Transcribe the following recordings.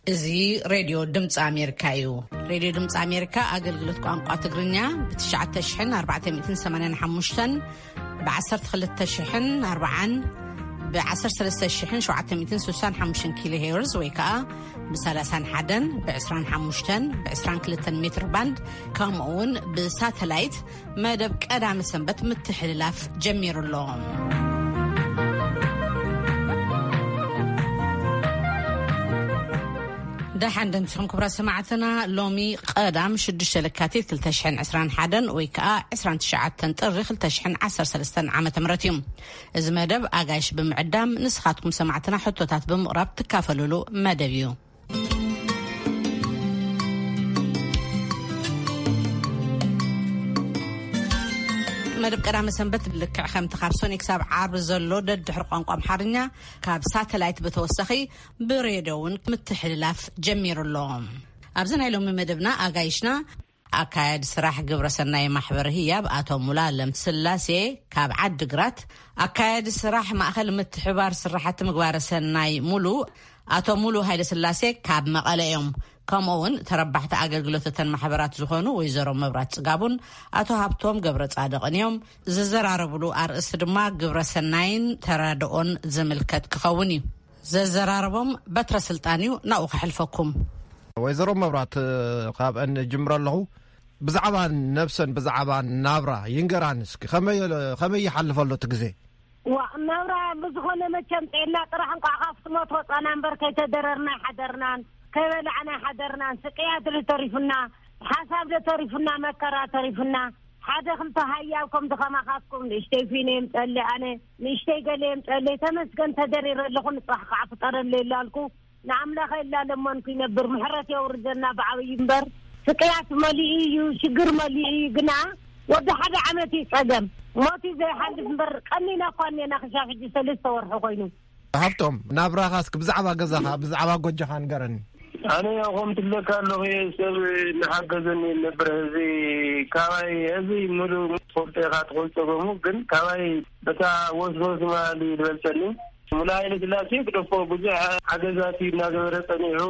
እዚ ሬድዮ ድምፂ ኣሜሪካ እዩ። ሬድዮ ድምፂ ኣሜሪካ ኣገልግሎት ቋንቋ ትግርኛ ብ ትሽዓተ ሽሕን ኣርባዕተ ሚእትን ሰማንያን ሓሙሽተን፣ ብ ዓሰርተ ክልተ ሽሕን ኣርባዓን፣ ብ ዓሰርተ ሰለስተ ሽሕን ሸውዓተ ሚእትን ስሳን ሓሙሽተን ኪሎ ሄርዝ ወይ ከዓ ብ ሰላሳን ሓደን፣ ብ ዕስራን ሓሙሽተን፣ ብ ዕስራን ክልተን ሜትር ባንድ፣ ከምኡ እውን ብሳተላይት መደብ ቀዳመ ሰንበት ምትሕልላፍ ጀሚሩ ኣሎ። ደሓን ደምሲኹም ክቡራት ሰማዕትና። ሎሚ ቀዳም ሽዱሽተ ለካቲት ክልተ ሽሕን ዕስራን ሓደን ወይ ከዓ ዕስራን ትሽዓተን ጥሪ ክልተ ሽሕን ዓሰርተ ሰለስተን ዓመተ ምህረት እዩ። እዚ መደብ ኣጋይሽ ብምዕዳም ንስኻትኩም ሰማዕትና ሕቶታት ብምቕራብ ትካፈሉሉ መደብ እዩ። መደብ ቀዳመ ሰንበት ልክዕ ከምቲ ካብ ሶኒ ክሳብ ዓርቢ ዘሎ ደድሕሪ ቋንቋ ኣምሓርኛ ካብ ሳተላይት ብተወሳኺ ብሬድዮ እውን ምትሕልላፍ ጀሚሩ ኣሎ። ኣብዚ ናይ ሎሚ መደብና ኣጋይሽና ኣካያዲ ስራሕ ግብረ ሰናይ ማሕበር ህያብ ኣቶ ሙሉኣለም ስላሴ ካብ ዓዲ ግራት፣ ኣካያዲ ስራሕ ማእኸል ምትሕባር ስራሕቲ ምግባረ ሰናይ ሙሉ ኣቶ ሙሉ ሃይለ ስላሴ ካብ መቐለ እዮም። ከምኡ እውን ተረባሕቲ ኣገልግሎት እተን ማሕበራት ዝኾኑ ወይዘሮ መብራት ጽጋቡን ኣቶ ሃብቶም ገብረ ጻድቕን እዮም። ዝዘራረብሉ ኣርእስቲ ድማ ግብረ ሰናይን ተራድኦን ዝምልከት ክኸውን እዩ። ዘዘራረቦም በትረ ስልጣን እዩ። ናብኡ ከሕልፈኩም። ወይዘሮ መብራት፣ ካብአን ጅምረ ኣለኹ። ብዛዕባ ነብሰን፣ ብዛዕባ ናብራ ይንገራን እስኪ። ከመይ፣ ከመይ ይሓልፈ ኣሎ እቲ ግዜ? ዋ፣ ናብራ ብዝኾነ መቸም ጥዕና ጥራሕ፣ እንቋዕ ካብ ትሞት ወጻና እምበር ከይተደረርና ኣይሓደርናን፣ ከይበላዕና ኣይሓደርናን። ስቅያት ዶ ተሪፉና፣ ሓሳብ ዶ ተሪፉና፣ መከራ ተሪፉና። ሓደ ክልተ ሃያብ ከምዚ ከማኻትኩም ንእሽተይ ፊነ የምጸለይ፣ ኣነ ንእሽተይ ገለ የምጸለይ። ተመስገን ተደሪረ ኣለኹ፣ ንጽባሕ ከዓ ፍጠረለይ ይላልኩ። ንኣምላኸ ይላለመንኩ ይነብር፣ ምሕረት የውርደና ብዓብዩ እምበር። ስቅያት መሊኡ እዩ፣ ሽግር መሊኡ እዩ። ግና ወዲ ሓደ ዓመት እዩ ጸገም፣ ሞት እዩ ዘይሓልፍ እምበር፣ ቀኒና እኳ እኔና ክሻብ ሕጂ ሰለስተ ወርሒ ኮይኑ። ሃብቶም፣ ናብራኻ እስኪ ብዛዕባ ገዛኻ፣ ብዛዕባ ጎጆኻ ንገረኒ። ኣነ ያው ከም ትብለካ ኣለኹ፣ እየ ሰብ እናሓገዘኒ ይነብር። እዚ ካባይ፣ እዚ ሙሉ ትፈልጦ ኢኻ፣ ትኾን ጸገሙ፣ ግን ካባይ በታ ወስወስ ማሊ ዝበልጸኒ ሙሉ ሃይለ ስላሴ ግደፎ፣ ብዙሕ ሓገዛት እዩ እናገበረ ጸኒሑ።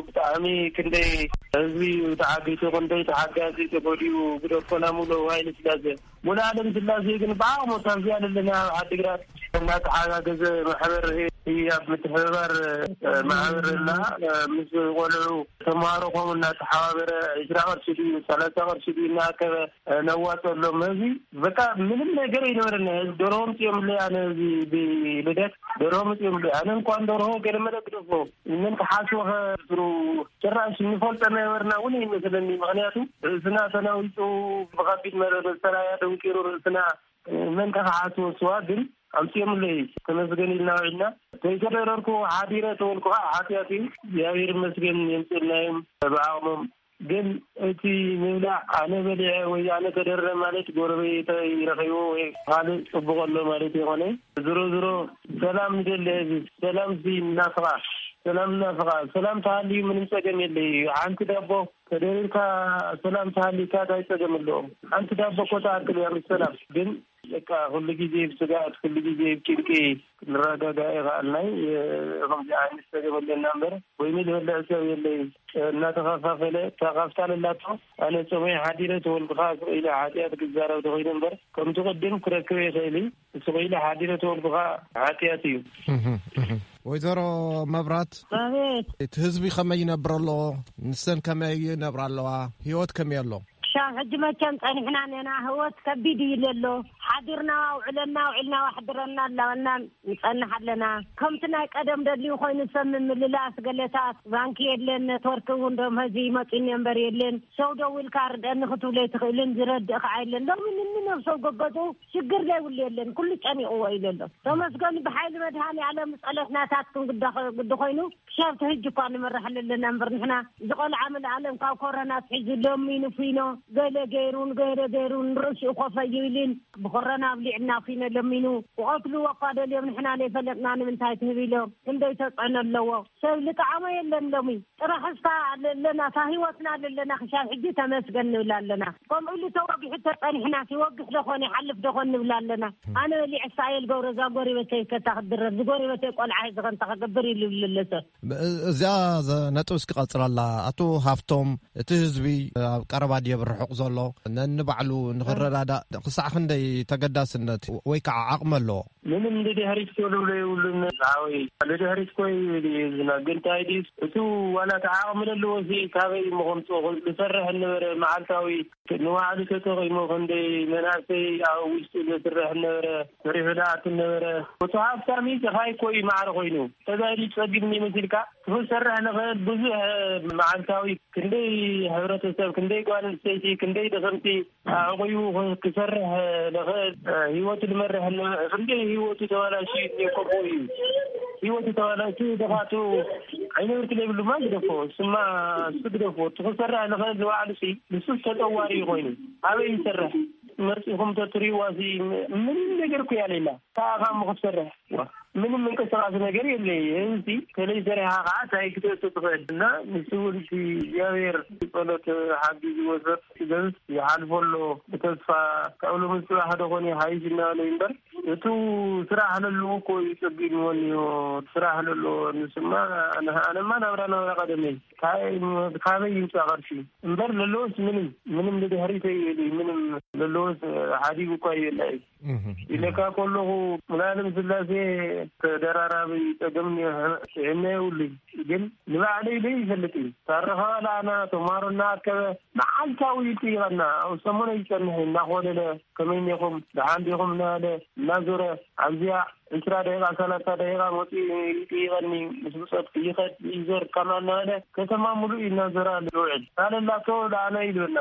ብጣዕሚ ክንደይ ህዝቢ እዩ ተዓጊቱ፣ ክንደይ ተሓጋዚ ተጎዲኡ፣ ግደፎ ናሙሉ ሃይለ ስላሴ። ሙሉ ኣለም ስላሴ ግን ብዓቕሙ ካብዚኣ ዘለና ኣብ ዓዲግራት እናተሓጋገዘ ማሕበር ህያብ ምትሕብባር፣ እ፣ ማሕበር እና፣ እ፣ ምስ ቆልዑ ተምሃሮ ከምኡ እናተሓባበረ ዒስራ ቅርሺ ድዩ ሰላሳ ቅርሺ ድዩ እናኣከበ፣ እ፣ ነዋፀሎም። እዚ በቃ ምንም ነገር ኣይነበረና። ደርሆ ምፅዮምለይ ኣነ እዚ ብልደት ደርሆ ምፅዮምለይ ኣነ እንኳን ደርሆ ገለ መለ ግደፎ ምን ክሓስቦ ከስሩ ጭራሽ እንፈልጦ ነበርና እውን ይመስለኒ። ምኽንያቱ ርእስና ተናዊጹ ብኸቢድ መረ-፣ መሳርያ ደንቂሩ ርእስና መን ከ ክሓስቦ ስዋ ግን ኣምጺኦምለይ ተመስገን ኢልና ውዒልና። ከይተደረርኩ ሓዲረ ተበልኩ ከዓ ሓጢኣት እዩ። እግዚኣብሔር ይመስገን የምጽእልናዮም ብዓቕሞም። ግን እቲ ምብላዕ ኣነ በሊዐ ወይ ኣነ ተደረ ማለት ጎረቤተይ ረኺቡ ወይ ካልእ ጽቡቕ ኣሎ ማለት ይኾነ። ዝሮ ዝሮ ሰላም ንደሊ ህዝቢ፣ ሰላም ሲ እናፍቓ፣ ሰላም እናፍቓ፣ ሰላም ተሃልዩ ምንም ጸገም የለይ። ሓንቲ ዳቦ ተደሪርካ ሰላም ተሃሊካ እንታይ ጸገም ኣለዎ? ሓንቲ ዳቦ እኮ ተኣክል እያ ምስ ሰላም። ግን በቃ ኩሉ ግዜ ብስጋት፣ ኩሉ ግዜ ብጭንቂ ክንረጋጋእ ይኸኣልናይ። ከምዚ ዓይነት ጸገም ኣለና እምበር፣ ወይኒ ዝበልዕ ሰብ የለይ። እናተኸፋፈለ፣ እታ ካፍታ ለላቶ፣ ኣነ ጸመይ ሓዲረ ተወልድኻ ስቕ ኢለ ሓጢኣት ክዛረብ ተኾይነ እምበር፣ ከምቲ ቅድም ክረክበ ይኽእል እዩ። ስቕ ኢለ ሓዲረ ተወልድኻ ሓጢኣት እዩ። እህ፣ እህ። ወይዘሮ መብራት፣ ኣቤት። እቲ ህዝቢ ከመይ ይነብር ኣሎ? ንሰን ከመይ ይነብራ ኣለዋ? ህይወት ከመይ ኣሎ? ክሻብ ሕጂ መቸም ጸኒሕና ኔና፣ ህይወት ከቢድ እዩ ዘሎ። ሓዲርና ውዕለና፣ ውዒልና ዋሕድረና ኣላወና ንጸንሕ ኣለና። ከምቲ ናይ ቀደም ደልዩ ኮይኑ ሰብ ምምልላስ ገለታት፣ ባንኪ የለን፣ ኔትወርክ እውን ዶም ሀዚ ይመጹኒ እምበር የለን። ሰው ደዊልካ ርደኒ ክትብሎ ኣይትኽእልን፣ ዝረድእ ከዓ የለን። ሎሚ ንንነብሰው ገገዝኡ ሽግር ዘይብሉ የለን፣ ኩሉ ጨኒቕዎ እዩ ዘሎ። ተመስገን ብሓይሊ መድሃኔ ዓለም ጸሎት ናታትኩም ግዳ ኾ-፣ ግዲ ኮይኑ ክሻብ ትህጅ እኳ ንመርሕ ኣለና እምበር ንሕና እዚ ቆልዓ መድሃኔ ዓለም ካብ ኮረና ትሒዙ ሎሚ ንፉይኖ ገለ ገይሩን ገለ ገይሩን ርእሲኡ ኮፈ ይብልን ብኮረና ኣብሊዕና ኩነ ለሚኑ ክቐትልዎ እኳ ደልዮም ንሕና ዘይፈለጥና ንምንታይ ትህብ ኢሎም ክንደይ ተፅዕኖ ኣለዎ። ሰብ ልጥዓሞ የለን ሎሚ። ጥራሕ እስካ ኣለና፣ እታ ህይወትና ኣለና፣ ክሻብ ሕጂ ተመስገን ንብል ኣለና። ከምኡ ኢሉ ተወጊሑ ተጸኒሕና፣ ሲወግሕ ደኾን ይሓልፍ ደኾን ንብል ኣለና። ኣነ በሊዐ ሳየል ገብረ እዛ ጎሪበተይ ከታ ክትድረር፣ ዝጎሪበተይ ቆልዓ ሒዚ ከንታ ክገብር ኢሉ ይብል ኣሎ ሰብ። እዚኣ ነጥብ እስኪ ቀጽለላ። ኣቶ ሃፍቶም፣ እቲ ህዝቢ ኣብ ቀረባ ድየ ብርሑቕ ዘሎ ነንባዕሉ ንኽረዳዳእ ክሳዕ ክንደይ ተገዳስነት ወይ ከዓ ዓቕሚ ኣለዎ? ምንም ንድሕሪት ኮ ዝብሎ የብሉን። ሓወይ፣ ንድሕሪት ኮ ይብል እዩ ህዝብና። ግን እንታይ ድዩ፣ እቱ ዋላ እቲ ዓቕሚ ዘለዎ ሲ ካበይ እሞ ከምፅኦ? ዝሰርሕ ነበረ፣ መዓልታዊ ንባዕሉ ተጠቒሙ። ክንደይ መናእሰይ ኣብ ውሽጡ ዘስርሕ ነበረ፣ ሰሪሑ ዝኣቱ ነበረ። እቱ ሃብታሚ ድኻይ ኮ እዩ ማዕረ ኮይኑ። ተጋዲ ጸጊም ይመስልካ? ክሰርሕ ንኽእል ብዙሕ መዓልታዊ ክንደይ ሕብረተሰብ፣ ክንደይ ጓል ኣንስተይቲ፣ ክንደይ ደኸምቲ ኣዕቑቡ ክሰርሕ ንኽእል፣ ህይወቱ ዝመርሕ ን-፣ ክንደይ ህይወቱ ተባላሽዩ እኒኦ። ከምኡ እዩ። ህይወቱ ተባላሽዩ፣ ደኻቱ ዓይነ ብርኪ ዘይብሉማ ግደፎ፣ ስማ እሱ ግደፎ። እቲ ክሰርሕ ንኽእል ንባዕሉ ሲ፣ ንሱስ ተጠዋሪ እዩ ኮይኑ። ኣበይ ይሰርሕ? መጺኹም ተትሪእዋ ሲ፣ ም-፣ ምንም ነገር እኮ ያሌላ። ከኣ ካብ ምኽትሰርሕ፣ ዋ፣ ምንም ምንቅስቃስ ነገር የለይ። እዚ ከለይ ሰሪሓ ከዓ እንታይ ክትእቱ ትኽእል? እና ንሱ እውን እቲ እግዚኣብሔር ጸሎት ሓጊዝዎ ሰብ ገዝ ይሓልፎ ኣሎ ብተስፋ። ካብ ሎሚ ጽባሕ ዶ ኾን ይሓይሽ እናበለ እዩ እምበር፣ እቱ ስራሕ ለለዎ እኮ እዩ ጸጊምዎ እኒኦ። ስራሕ ለለዎ ንስማ፣ ኣነ-፣ ኣነማ ናብራ ናብራ ቀደመይ። ካበይ፣ ካበይ ይምጻእ ቅርሺ? እምበር ለለዎስ ምንም፣ ምንም ንድሕሪት ኣይብል እዩ። ምንም ለለዎስ ሓዲጉ እኳ ይብል እዩ። እህ፣ እህ። ኢለካ ከለኹ፣ ሙሉኣለም ስላሴ ተደራራቢ ጸገም ጥዕና የብሉን። ግን ንባዕለይ ኢለ ይፈልጥ እዩ። ታረኸባ ለኣና፣ ተማሃሮ እናኣከበ መዓልታዊ ይጥይቐና። ኣብ ሰሙነ ይጸንሕ እናኾለለ፣ ከመይ እኒኹም፣ ደሓን ዲኹም እናበለ፣ እናዞረ፣ ኣብዚኣ ዕስራ ደቂቓ፣ ሰላሳ ደቂቓ መፂኡ ይጥይቐኒ። ምስ ብጾት ይኸድ ይዞር፣ ከምኣ እናበለ ከተማ ሙሉእ እዩ እናዞረ ኣሎ ዝውዕል። ካልእ ላቶ ለኣና ይልበና።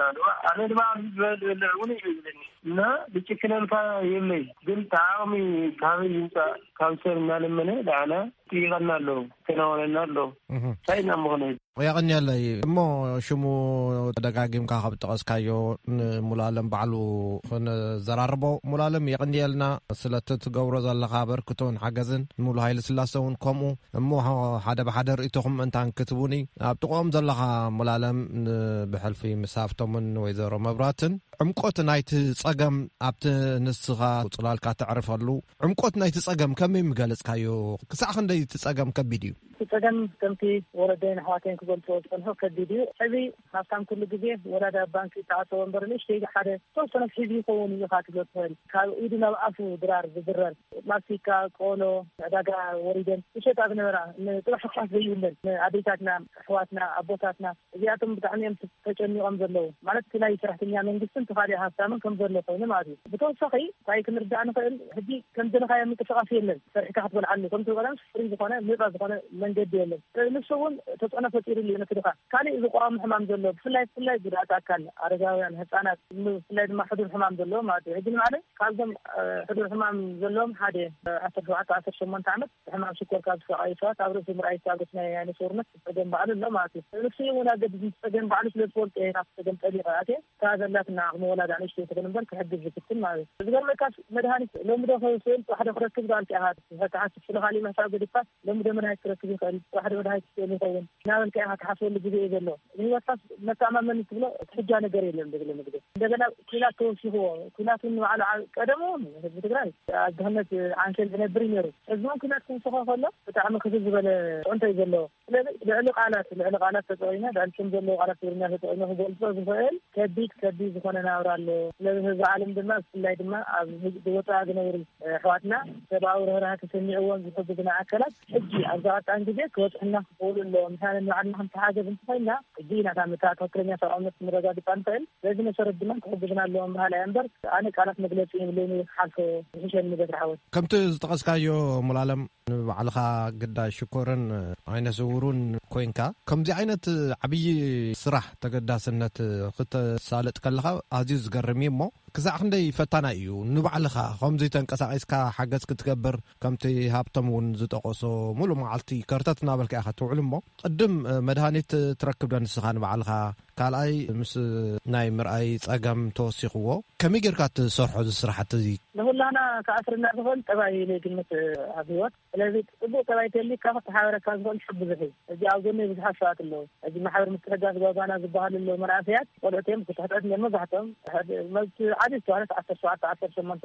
ኣነ ድማ ኣብዚ ዝበል ዝበልዕ እውን እዩ ዝብለኒ። እና ዝጭክነልካ የብለይ፣ ግን እቲ ዓቕሚ ካበይ ይምፃእ? ካብ ሰብ እናለመነ ለኣና ይጥይቐና ኣሎ፣ ይከናወነና ኣሎ። እህ። እንታይ ኢና ምኾነ? የቐንየለይ። እሞ ሽሙ ደጋጊምካ ካብ ጠቐስካዮ ንሙሉኣለም ባዕሉ ክንዘራርቦ። ሙሉኣለም፣ የቐንየልና ስለቲ ትገብሮ ዘለኻ ኣበርክቶን ሓገዝን፣ ንሙሉ ሃይለ ስላሰ እውን ከምኡ። እሞ ሓደ ብሓደ ርእይቶኹም እንታን ክትቡኒ። ኣብ ጥቕኦም ዘለኻ ሙሉኣለም፣ ን-፣ ብሕልፊ ምስ ሃፍቶምን ወይዘሮ መብራትን ዕምቆት ናይቲ ጸገም ኣብቲ ንስኻ ጽላልካ ተዕርፈሉ ዕምቆት ናይቲ ጸገም ከመይ ምገለጽካዮ? ክሳዕ ክንደይ እቲ ጸገም ከቢድ እዩ? እቲ ጸገም ከምቲ ወለደይን ኣሕዋተይን ክገልጽዎ ዝጸንሑ ከቢድ እዩ። ሕዚ ሃብታም ኩሉ ግዜ ወላዲ ኣብ ባንኪ ዝተዓጸወ እምበር ንእሽተይ ሓደ ዝተወሰነ ሒዙ ይኸውን እዩ ኢኻ ትብሎ ትኽእል። ካብ ኢዱ ናብ ኣፉ ድራር ዝድረር ማስቲካ፣ ቆሎ፣ ዕዳጋ ወሪደን ዝሸጣ ዝነበራ ንጥራሕ ሕፋስ ዘይብለን ንኣዴታትና፣ ኣሕዋትና፣ ኣቦታትና እዚኣቶም ብጣዕሚ እዮም ተጨኒቖም ዘለዉ። ማለት እቲ ናይ ሰራሕተኛ መንግስትን እቲ ካልእ ሃብታምን ከም ዘሎ ኮይኑ ማለት እዩ። ብተወሳኺ እንታይ ክንርዳእ ንኽእል፣ ሕጂ ከም ዝደለኻዮ ምንቅስቓስ የለን። ሰሪሕካ ክትበልዓሉ ከምቲ ቀደም ፍሪ ዝኾነ ነፃ ዝኾነ መንገዲ የለን። ስለዚ ንሱ እውን ተፅዕኖ ፈጢሩሉ እዩ ነቲ ድኻ። ካልእ ዝቋሙ ሕማም ዘሎ ብፍላይ ብፍላይ ጉድኣት ኣካል፣ ኣረጋውያን፣ ህፃናት፣ ብፍላይ ድማ ሕዱር ሕማም ዘለዎም ማለት እዩ። ሕጂ ንባዕለይ ካብዞም ሕዱር ሕማም ዘለዎም ሓደ ዓሰርተ ሸውዓተ ዓሰርተ ሸሞንተ ዓመት ብሕማም ሽኮር ካብ ዝሰቃዩ ሰባት ኣብ ርእሲ ምርኣይ ዝተኣገሱ ናይ ዓይነ ስውርነት ጸገም ባዕሉ ኣሎ ማለት እዩ። ንሱ እውን ኣገድስ ምስ ጸገም ባዕሉ ስለ ዝፈልጦ እየ ናብቲ ጸገም ጠሊቐ ኣትየ። እታ ዘላትና ዓቕሚ ወላዳ ንእሽተይ ትኹን እምበር ክሕግዝ ዝፍትን ማለት እዩ። ዝገርመካስ መድሃኒት ሎሚ ዶ ክስእል ጽባሕ ዶ ክረክብ ዳልካ ኢኻ ትሓስብ። ስለ ካሊእ ምሕሳብ ገዲፍካስ ሎሚ ዶ መድሃኒት ክረክብ ይኽእል፣ ጽባሕ ዶ መድሃኒት ክስእል ይኸውን እናበልካ ኢኻ ትሓስበሉ ግዜ እዩ ዘሎ። ንህይወትካስ መተኣማመኒ ትብሎ ትሕጃ ነገር የለን ብዝብል ምግቢ። እንደገና ኲናት ተወሲኽዎ። ኲናት እውን ንባዕሉ ዓ-፣ ቀደም እውን ህዝቢ ትግራይ ኣብ ድኽነት ዓንኬል ዝነብር እዩ ነይሩ። ሕዚ እውን ኲናት ክውስኾ ከሎ ብጣዕሚ ክፍል ዝበለ ፅዕንቶ እዩ ዘለዎ። ስለዚ ልዕሊ ቃላት፣ ልዕሊ ቃላት ተጠቒመ፣ ልዕሊ ስም ዘለዎ ቃላት ትግርኛ ተጠቒመ ክገልፆ ዝኽእል ከቢድ፣ ከቢድ ዝኾነ ናብራ ኣሎ። ስለዚ ህዝቢ ዓለም ድማ፣ ብፍላይ ድማ ኣብ ህዝቢ ወፃኢ ዝነብሩ ኣሕዋትና ሰብኣዊ ርህራሄ ተሰሚዕዎም ዝሕግዙና ኣካላት ሕጂ ኣብዚ ቀጣን ግዜ ክበፅሑና ክኽእሉ ኣለዎም። ምኽንያቱ ንባዕልና ክንተሓገዝ እንተኾይንና ሕጂ ኢና እታ ትኽክለኛ ሰብኣውነት ክንረጋግፃ ንኽእል። በዚ መሰረት ድማ ክሕግዙና ኣለዎም በሃላይ እምበር ኣነ ቃላት መግለፂ የብለይን፣ ክሓልፎ ዝሕሸኒ በትሪ ሓወይ። ከምቲ ዝጠቐስካዮ ሙሉኣለም ንባዕልኻ ግዳይ ሽኮርን ዓይነ ስውሩን ኮይንካ ከምዚ ዓይነት ዓብዪ ስራሕ ተገዳስነት ክተሳልጥ ከለኻ ኣዝዩ ዝገርም እዩ። እሞ ክሳዕ ክንደይ ፈታናይ እዩ ንባዕልኻ ከምዚ ተንቀሳቒስካ ሓገዝ ክትገብር? ከምቲ ሃብቶም እውን ዝጠቐሶ ሙሉእ መዓልቲ ከርተት እናበልካ ኢኻ ትውዕል። እሞ ቅድም መድሃኒት ትረክብ ዶ ንስኻ ንባዕልኻ? ካልኣይ ምስ ናይ ምርኣይ ጸገም ተወሲኽዎ። ከመይ ጌርካ ትሰርሖ እዚ ስራሕቲ እዚ? ንኹላና ክኣስርና ዝኽእል ጠባይ ኢለ ይግምት ኣብ ህይወት። ስለዚ ጽቡቕ ጠባይ ተልካ ክተሓበረካ ዝኽእል ሰብ ብዙሕ እዩ። እዚ ኣብ ጎነይ ብዙሓት ሰባት ኣለዉ። እዚ ማሕበር ምትሕግጋዝ ጓጓና ዝበሃሉ ኣለዉ። መናእሰያት ቆልዑት እዮም፣ ክትሕትሕት እዮም መብዛሕትኦም። መብት ዓዲ ዝተባህለት ዓሰርተ ሸውዓተ ዓሰርተ ሸሞንተ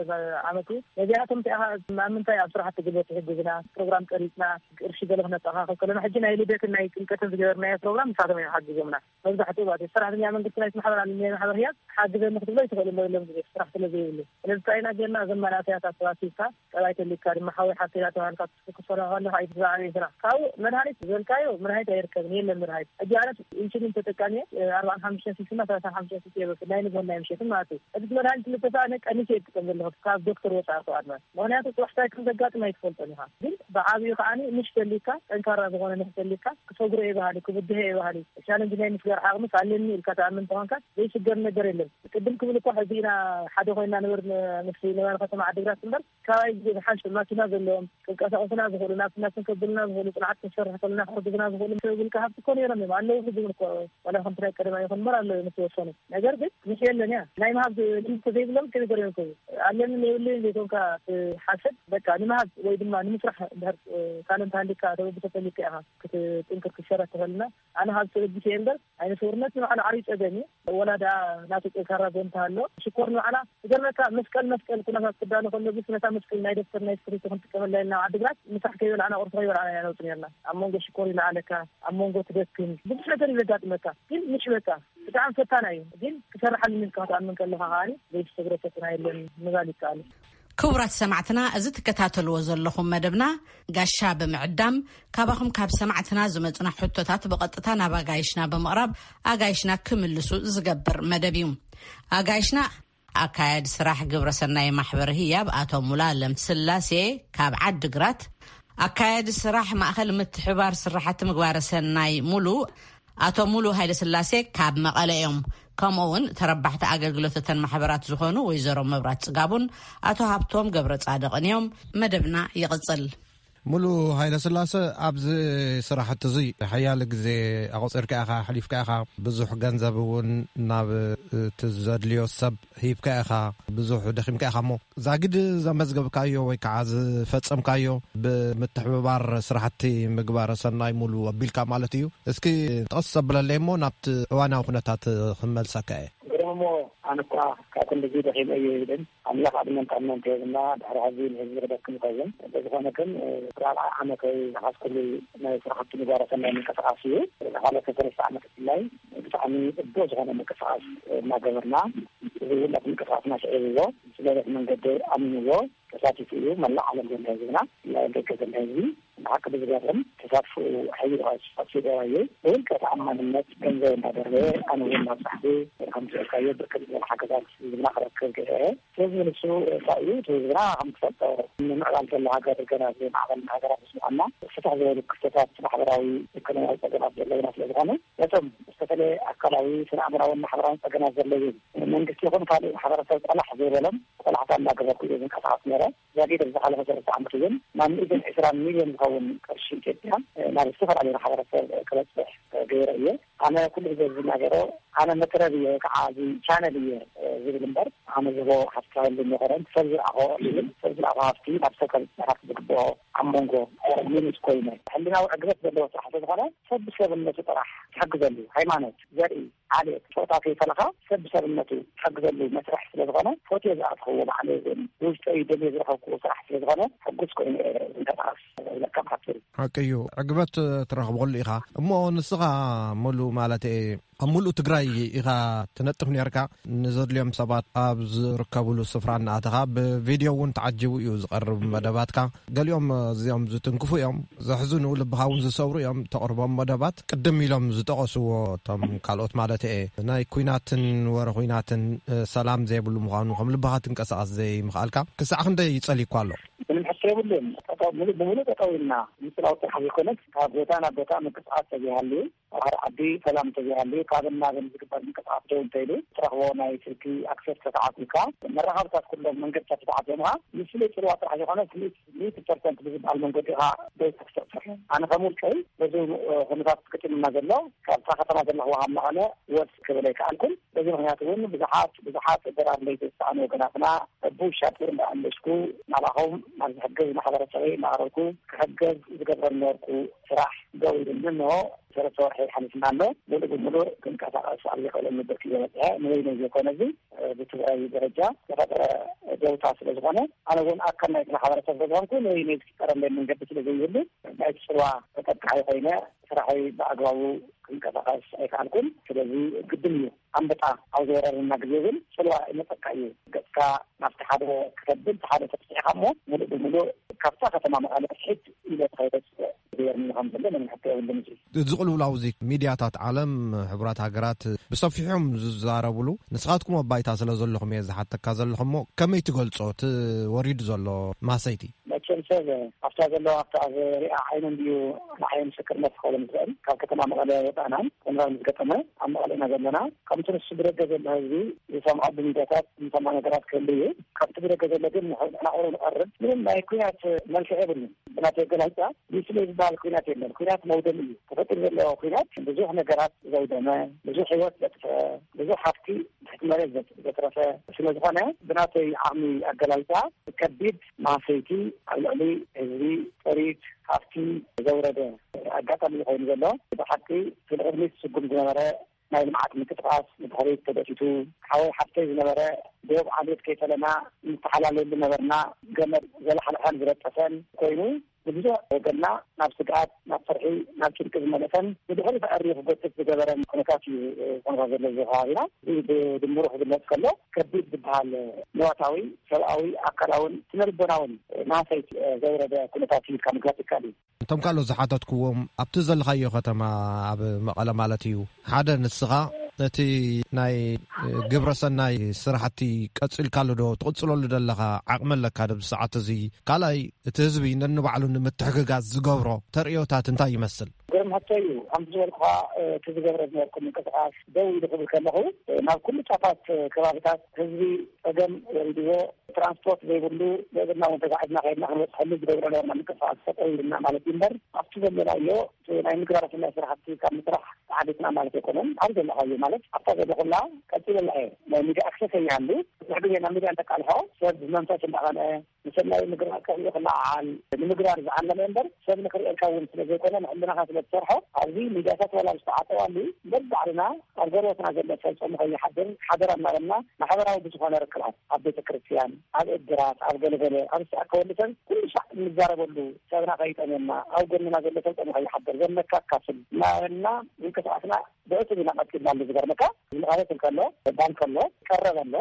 ዓመት እዩ። ነዚኣቶም እንታይ ኢኻ ኣብ ምንታይ ኣብ ስራሕቲ ጉልበት ይሕግዝና፣ ፕሮግራም ቀሪጽና፣ ቅርሺ ገለ ክነጠኻኽብ ከለና፣ ሕጂ ናይ ልደትን ናይ ጥምቀትን ዝገበርናዮ ፕሮግራም ንሳቶም እዮም ሓጊዞምና። መብዛሕትኡ ማለት እዩ። ሰራሕተኛ መንግስቲ ናይቲ ማሕበር ኣለኒ፣ ናይ ማሕበር ህያብ ሓግዘኒ ክትብሎ ይትኽእል እሞ የለን፣ ብዙሕ ስራሕ ስለ ዘይብሉ። ስለዚ እንታይ ኢና ጌርና፣ እዞም መናእሰያት ኣሰባሲብካ፣ ጠባይ ተሊካ ድማ ሓወይ ሓፍተይ ተባሂልካ ክትሰርሖ ከለኻ እዩ እቲ ዝዓበየ ስራሕ። ካብኡ መድሃኒት ዝበልካዮ መድሃኒት ኣይርከብን፣ የለን መድሃኒት። ሕጂ ኣነ ኢንሱሊን ተጠቃሚ እየ፣ ኣርባዓን ሓሙሽተን ሲሲ እና ሰላሳን ሓሙሽተን ሲሲ እየ ዝወስድ፣ ናይ ንግሆን ናይ ምሸትን ማለት እዩ። እቲ መድሃኒት ክልተ ሰዓት ቀኒሰ እየ ዝጥቀም ዘለኹ፣ ካብ ዶክተር ወፃኢ እኮ ኣድማ። ምኽንያቱ ፅባሕ እንታይ ከም ዘጋጥም ኣይትፈልጦን ኢኻ። ግን ብዓብዩ ከዓኒ ምሽ ተሊካ፣ ጠንካራ ዝኾነ ምሽ ተሊካ፣ ክሰግሮ እየ በሃሊ፣ ክብድሆ እየ በሃሊ፣ ቻለንጅ ናይ ምስጋር ዓቕምስ ኣለኒ ኢልካ ትኣምን እንተኾንካ ዘይስገር ነገር የለን። ቅድም ክብል እኳ ሕዚ ኢና ሓደ ኮይና ንበር ምስ ነበረ ከተማ ዓዲግራት እምበር፣ ካባይ ዝሓሽ ማኪና ዘለዎም ክንቀሳቀሱና ዝኽእሉ፣ ናብቲ ናብትን ከብሉና ዝኽእሉ፣ ጽንዓት ክንሰርሕ ከለና ክሕግዙና ዝኽእሉ ሰብ ውልቀ ሃብቲ እኮ ነይሮም እዮም፣ ኣለዉ። ሕጂ እውን እኮ ዋላ ከምቲ ናይ ቀደም ኣይኹን እምበር ኣለዉ እዮም ዝተወሰኑ። ነገር ግን ምሽ የለን እያ። ናይ ምሃብ ልምዲ ተዘይብሎም ከመይ ገይሮም ይርከቡ? ኣለኒ የብለይን ዘይኮንካ ትሓስብ፣ በቃ ንምሃብ ወይ ድማ ንምስራሕ እንድሕር ታለንት ሃልዩካ ተበግሶ ተልዩካ ኢኻ ክትጥንክር ክትሸረክ ትኽእልና። ኣነ ካብ ተበጊሰ እየ እምበር፣ ኣይነስውርነት ንባዕሉ ዓብዪ ጸገም እዩ። ወላ ደኣ ናቱ ጠንካራ ጎንታ ኣሎ። ሽኮር ንባዕላ ትገርመካ፣ መስቀል መስቀል ኩነታት ክዳሎ ከሎ፣ ብስ ነታ መስቀል ናይ ደብተር ናይ ስክሪቶ ክንጥቀመላ ኢልና ኣብ ዓዲግራት ምሳሕ ከይበላዕና ቁርሲ ከይበላዕና ኢና ነውጽእ ነርና። ኣብ መንጎ ሽኮር ይለዓለካ፣ ኣብ መንጎ ትደክም፣ ብዙሕ ነገር እዩ ዘጋጥመካ። ግን ምሽ በቃ ብጣዕሚ ፈታና እዩ። ግን ክሰርሓሉ ኢልካ ክትኣምን ከለኻ ከኣ ዘይትሰግሮ ፈተና የለን ምባል ይከኣል። ክቡራት ሰማዕትና፣ እዚ ትከታተልዎ ዘለኹም መደብና ጋሻ ብምዕዳም፣ ካባኹም ካብ ሰማዕትና ዝመጹና ሕቶታት ብቐጥታ ናብ ኣጋይሽና ብምቕራብ ኣጋይሽና ክምልሱ ዝገብር መደብ እዩ። ኣጋይሽና ኣካያዲ ስራሕ ግብረሰናይ ማሕበር ህያብ ኣቶ ሙሉኣለም ስላሴ ካብ ዓዲግራት፣ ኣካያዲ ስራሕ ማእኸል ምትሕባር ስራሕቲ ምግባረ ሰናይ ሙሉ ኣቶ ሙሉ ሃይለስላሴ ካብ መቐለ እዮም። ከምኡ እውን ተረባሕቲ ኣገልግሎት እተን ማሕበራት ዝኾኑ ወይዘሮ መብራት ጽጋቡን ኣቶ ሃብቶም ገብረ ጻድቕን እዮም። መደብና ይቕጽል። ሙሉ ሃይለስላሴ፣ ኣብዚ ስራሕቲ እዚ ሓያለ ግዜ ኣቑጺርካ ኢኻ፣ ኣሕሊፍካ ኢኻ፣ ብዙሕ ገንዘብ እውን ናብ እቲ ዘድልዮ ሰብ ሂብካ ኢኻ፣ ብዙሕ ደኺምካ ኢኻ። እሞ ዛጊድ ዘመዝገብካዮ ወይ ከዓ ዝፈጸምካዮ ብምትሕብባር ስራሕቲ ምግባረ ሰናይ ሙሉ ኣቢልካ ማለት እዩ። እስኪ ጠቕስ ዘብለለይ እሞ ናብቲ እዋናዊ ኩነታት ክመልሰካ እየ። ግርም እሞ ኣነ እኳ ካብ ክንድዚ ደኺመ እየ ይብል፣ ኣምላኽ ዕድመን ጥዕናን ከህብና ድሕሪ ሕዚ ንህዝቢ ክደክም ይኸውን። እንተዝኾነ ግን ራብዓይ ዓመተይ ዝሓዝኩሉ ናይ ስራሕቲ ምግባረ ሰናይ ምንቅስቃስ እዩ። ዝሓለፈ ሰለስተ ዓመት ብፍላይ ብጣዕሚ ጽቡቕ ዝኾነ ምንቅስቃስ እናገበርና፣ እዚ ውላድ ምንቅስቃስና ስዒብዎ፣ ስለበት መንገዲ ኣሚንዎ ተሳቲፉ እዩ። መላእ ዓለም ዘሎ ህዝብና፣ ብፍላይ ኣብ ደገ ዘሎ ህዝቢ ብሓቂ ብዝገርም ተሳትፎኡ ሓይሉ ተሳትፎ ገይሩ እዩ። ብውልቀ ተኣማንነት ገንዘብ እንዳደረበ፣ ኣነ እውን ናብ ጻሕፊ ከም ትልካዮ ብርክት ዝበለ ሓገዛት ህዝብና ክረክብ ገይረ እየ። ስለዚ ንሱ እንታይ እዩ፣ እቲ ህዝብና ከም ትፈልጦ ንምዕባል ዘሎ ሃገር ገና ዘይማዕበልና ሃገራት ምስ ምዃንና፣ ፍትሕ ዝበሉ ክስተታት ማሕበራዊ ኢኮኖሚያዊ ጸገማት ዘለውና ስለ ዝኾነ፣ ነቶም ዝተፈለየ ኣካላዊ፣ ስነ ኣእምራውን ማሕበራውን ጸገማት ዘለዎም መንግስቲ ይኹን ካልእ ማሕበረሰብ ቆላሕ ዘይበሎም ቆላሕታ እንዳገበርኩ እየ ዝንቀሳቐስ ነይረ። ዛጊድ ኣብ ዝሓለፈ ሰለስተ ዓመት እውን ናብ ሚእትን ዕስራን ሚልዮን ዝኸውን ቅርሺ ኢትዮጵያ ናብ ዝተፈላለዩ ማሕበረሰብ ክበፅሕ ገይረ እየ። ኣነ ኩሉ ግዜ ዝናገሮ፣ ኣነ መትረብ እየ ወይ ከዓ እዚ ቻነል እየ ዝብል እምበር፣ ኣነ ዝህቦ ሓሳብ ኣይኮነን። ሰብ ዝረኣኾ ይብል፣ ሰብ ዝረኣኾ ሃፍቲ ናብ ሰብ ከብፅሕ ዝግብኦ ኣብ መንጎ ሚኒት ኮይነ ሕልናዊ ዕግበት ዘለዎ ስራሕ ስለዝኾነ ሰብ ብሰብነቱ ጥራሕ ትሕግዘሉ። ሃይማኖት፣ ዘርኢ፣ ዓሌት፣ ጾታ ከይፈለኻ ሰብ ብሰብነቱ ትሕግዘሉ መስርሕ ስለዝኾነ፣ ፎትዮ ዝኣትኽዎ ባዕለይ እውን ብውሽጠይ ደልየ ዝረኸብክዎ ስራሕ ስለዝኾነ ሕጉስ ኮይነ እየ ዝንቀሳቐስ። ለካ ብሓፂሩ። ሓቂ እዩ፣ ዕግበት ትረኽበሉ ኢኻ። እሞ ንስኻ ሙሉ ማለት እየ ኣብ ሙሉእ ትግራይ ኢኻ ትነጥፍ ነርካ። ንዘድልዮም ሰባት ኣብ ዝርከብሉ ስፍራ እናኣተኻ ብቪድዮ እውን ተዓጂቡ እዩ ዝቐርብ መደባትካ። ገሊኦም እዚኦም ዝትንክፉ እዮም፣ ዘሕዝኑ፣ ልብኻ እውን ዝሰብሩ እዮም ተቕርቦም መደባት። ቅድም ኢሎም ዝጠቐስዎ እቶም ካልኦት ማለት እየ ናይ ኩናትን ወረ ኩናትን፣ እ፣ ሰላም ዘይብሉ ምዃኑ፣ ከም ልብኻ ትንቀሳቐስ ዘይምኽኣልካ ክሳዕ ክንደይ ይጸልዩኳ ኣሎ? ምንም ሕቶ የብሉን። ጠጠው፣ ሙሉ ብሙሉ ጠጠው ኢልና። ምስላዊ ጥራሕ ዘይኮነስ፣ ካብ ቦታ ናብ ቦታ ምንቅስቃስ ተዘይሃልዩ፣ ኣብ ሓደ ዓዲ ሰላም ተዘይሃልዩ፣ ካብን ናብን ዝግበር ምንቅስቃስ ደው እንተኢሉ፣ ትረኽቦ ናይ ስልኪ ኣክሰስ ተተዓፂካ፣ መራኸብታት ኩሎም መንገድታት ተተዓፂምካ፣ ንስለ ፅልዋ ጥራሕ ዘይኮነስ፣ ሚእቲ ፐርሰንት ብዝበሃል መንገዲ ኢኻ ደው ተክሰብሰብ። ኣነ ከም ውልቀይ በዚ ኩነታት ገጢሙና ዘሎ፣ ካብታ ከተማ ዘለኹዋ ካብ መቐለ ወስ ክብል ኣይከኣልኩን። በዚ ምኽንያት እውን ብዙሓት፣ ብዙሓት እገራት ለይቲ ዝተሳእኑ ወገናትና፣ እቡ ሻጥር እንዳኣንበሽኩ ናባኹም ናብ ዝሕግዝ ማሕበረሰበይ እናቐረብኩ፣ ክሕገዝ ዝገብረኒ ነበርኩ ስራሕ ደው ኢሉኒ። እንሆ ሰለስተ ወርሒ ሓሊፍና ኣሎ። ሙሉእ ብሙሉእ ክንቀሳቐስ ኣብ ዘይክእለሉ ብርኪ እየ በፂሐ። ንበይነይ ዘይኮነ፣ እዚ ብትግራይ ደረጃ ዝተፈጠረ ደውታ ስለ ዝኾነ፣ ኣነ እውን ኣካል ናይቲ ማሕበረሰብ ስለ ዝኾንኩ፣ ንበይነይ ዝፍጠረለይ መንገዲ ስለ ዘይህሉ፣ ናይቲ ፅልዋ ተጠቃዒ ኮይነ ስራሐይ ብኣግባቡ ክንቀሳቐስ ኣይከኣልኩን። ስለዚ ግድን እዩ፣ ኣንበጣ ኣብ ዝወረረና ግዜ ግን ፅልዋ ይመፀካ እዩ። ገፅካ ናብቲ ሓደ ክተብል፣ እቲ ሓደ ተፍትሒኻ እሞ ሙሉእ ብሙሉእ ካብታ ከተማ መቐለ ሕት ኢለ ተኸይደ ዝገበርኒ ከም ዘሎ ምንም ሕቶ የብሉን። እዚ እዚ ቅልውላው እዚ ሚድያታት ዓለም፣ ሕቡራት ሃገራት ብሰፊሖም ዝዛረብሉ፣ ንስኻትኩም ኣብ ባይታ ስለ ዘለኹም እየ ዝሓተካ ዘለኹ። እሞ ከመይ ትገልጾ እቲ ወሪዱ ዘሎ ማሰይቲ? መቸም ሰብ ኣብታ ዘለዋ፣ ኣብታ ዝሪኣ ዓይኑ እንድዩ ንዓይ ምስክርነት ክኸውን ዝኽእል። ካብ ከተማ መቐለ ወፃእናን ኩናት ምስ ገጠመ ኣብ መቐለ ኢና ዘለና። ከምቲ ንሱ ብደገ ዘሎ ህዝቢ ዝሰምዖ ብሚድያታት ዝሰምዖ ነገራት ክህሉ እዩ። ካብቲ ብደገ ዘሎ ግን ንሕና ቁሩብ ንቐርብ፣ ምንም ናይ ኩናት መልክዕ የብሉን። ብናተይ ኣገላልፃ፣ ንስለ ዝበሃል ኩናት የለን። ኩናት መውደሚ እዩ። ተፈጢሩ ዘሎ ኩናት ብዙሕ ነገራት ዘውደመ፣ ብዙሕ ህይወት ዘጥፍአ፣ ብዙሕ ሃፍቲ ትሕቲ መሬት ዘት-፣ ዘትረፈ ስለ ዝኾነ፣ ብናተይ ዓቕሚ ኣገላልፃ፣ ከቢድ ማህሰይቲ ኣብ ልዕሊ ህዝቢ፣ ጥሪት፣ ሃፍቲ ዘውረደ ኣጋጣሚ እዩ ኮይኑ ዘሎ። ብሓቂ፣ እቲ ንቕድሚት ዝስጉም ዝነበረ ናይ ልምዓት ምንቅስቃስ ንድሕሪት ተገቲቱ፣ ሓወይ ሓፍተይ ዝነበረ ዶብ ዓሌት ከይፈለና ንተሓላለየሉ ነበርና፣ ገመድ ዘላሓልሐን ዝረጠፈን ኮይኑ፣ ንብዙሕ ወገንና ናብ ስግኣት፣ ናብ ፍርሒ፣ ናብ ጭንቂ ዝመለሰን ንድሕሪት ኣዕርዩ ክጎትት ዝገበረን ኩነታት እዩ፣ እ፣ ኩነታት ዘሎ እዚ ከባቢና። እዚ ብድምሩ ክግለጽ ከሎ፣ ከቢድ ዝበሃል ንዋታዊ፣ ሰብኣዊ፣ ኣካላውን ስነ ልቦናውን ማህሰይቲ፣ እ፣ ዘውረደ ኩነታት እዩ ኢልካ ምግላጽ ይከኣል እዩ። እቶም ካልኦት ዝሓተትክዎም፣ ኣብቲ ዘለኻዮ ከተማ፣ ኣብ መቐለ ማለት እዩ፣ ሓደ ንስኻ እቲ ናይ ግብረ ሰናይ ስራሕቲ ቀጺልካሉ ዶ ትቕጽለሉ ዘለኻ ዓቕሚ ኣለካ ዶ? ብሰዓት እዚ ካልኣይ፣ እቲ ህዝቢ ነንባዕሉ ንምትሕግጋዝ ዝገብሮ ተርእዮታት እንታይ ይመስል? ግርም ሕቶ እዩ። ከምቲ ዝበልኩኻ፣ እቲ ዝገብረ ዝነበርኩ ምንቅስቃስ ደው ኢሉ ክብል ከለኹ፣ ናብ ኩሉ ጫፋት ከባቢታት ህዝቢ ጸገም ወሪድዎ፣ ትራንስፖርት ዘይብሉ፣ ብእግርና እውን ተጋዒዝና ከይድና ክንበጽሐሉ ዝገብሮ ነበርና ምንቅስቃስ ጠጠው ኢልና ማለት እዩ እምበር፣ ኣብቲ ዘለናዮ ናይ ምግባረ ሰናይ ስራሕቲ ካብ ምስራሕ ተሓሊፍና ማለት ኣይኮነን። ኣብ ዘለኻዮ ማለት ኣብታ ዘለኹላ ቀጺለላ እየ። ናይ ሚድያ ኣክሰስ ኣይሃሉ። ብዙሕ ግዜ ናብ ሚድያ እንተቃልሖ ሰብ ብመንፈስ እንዳቐንአ ንሰናይ ምግባር ከርእዩ ክለዓዓል ንምግባር ዝዓለመ እምበር ሰብ ንክርእየልካ እውን ስለ ዘይኮነ ንሕልናኻ ስለ ትሰርሖ ኣብዚ ሚድያታት ዋላ ዝተዓጠዋሉ በብባዕልና ኣብ ገርበትና ዘሎ ሰብ ጾሙ ከይሓድር ሓደራ እናበልና ማሕበራዊ ብዝኾነ ርክባት ኣብ ቤተ ክርስቲያን፣ ኣብ እድራት፣ ኣብ ገለገለ፣ ኣብ ዝተኣከበሉ ሰብ ኩሉ ሳዕ እንዛረበሉ፣ ሰብና ከይጠምየና፣ ኣብ ጎንና ዘሎ ሰብ ጸኒሑ ይሓድር፣ ዘለካ ኣካፍል እናበልና ምንቅስቃስና ብዕቱብ ኢና ቀጺልናሉ። ዝገርመካ፣ ዝመቐረት እንከሎ፣ ባንክ ኣሎ፣ ቀረብ ኣሎ፣